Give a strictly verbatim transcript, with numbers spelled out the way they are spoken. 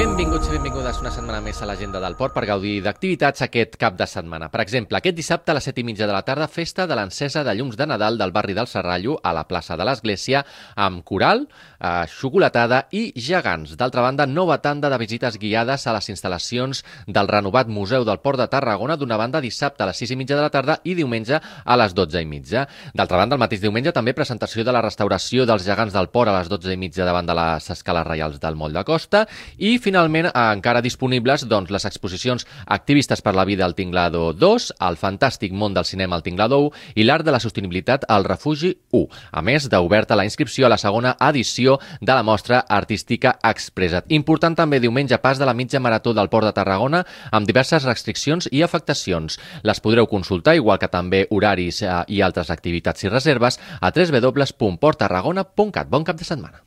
Benvinguts i benvingudes una setmana més a l'agenda del port per gaudir d'activitats aquest cap de setmana. Per exemple, aquest dissabte a les set i mitja de la tarda, festa de l'encesa de llums de Nadal del barri del Serrallo a la plaça de l'Església amb coral, eh, xocolatada i gegants. D'altra banda, nova tanda de visites guiades a les instal·lacions del renovat Museu del Port de Tarragona, d'una banda dissabte a les sis i mitja de la tarda i diumenge a les dotze i mitja. D'altra banda, el mateix diumenge també presentació de la restauració dels gegants del port a les dotze i mitja davant de les escales reials del Moll de Costa i finalment, encara disponibles doncs, les exposicions Activistes per la vida al Tinglado dos, El fantàstic món del cinema al Tinglado u i l'art de la sostenibilitat al Refugi u. A més d'oberta la inscripció a la segona edició de la mostra artística Expressa't. Important també diumenge pas de la mitja marató del Port de Tarragona amb diverses restriccions i afectacions. Les podreu consultar, igual que també horaris eh, i altres activitats i reserves, a w w w punt port tarragona punt cat. Bon cap de setmana.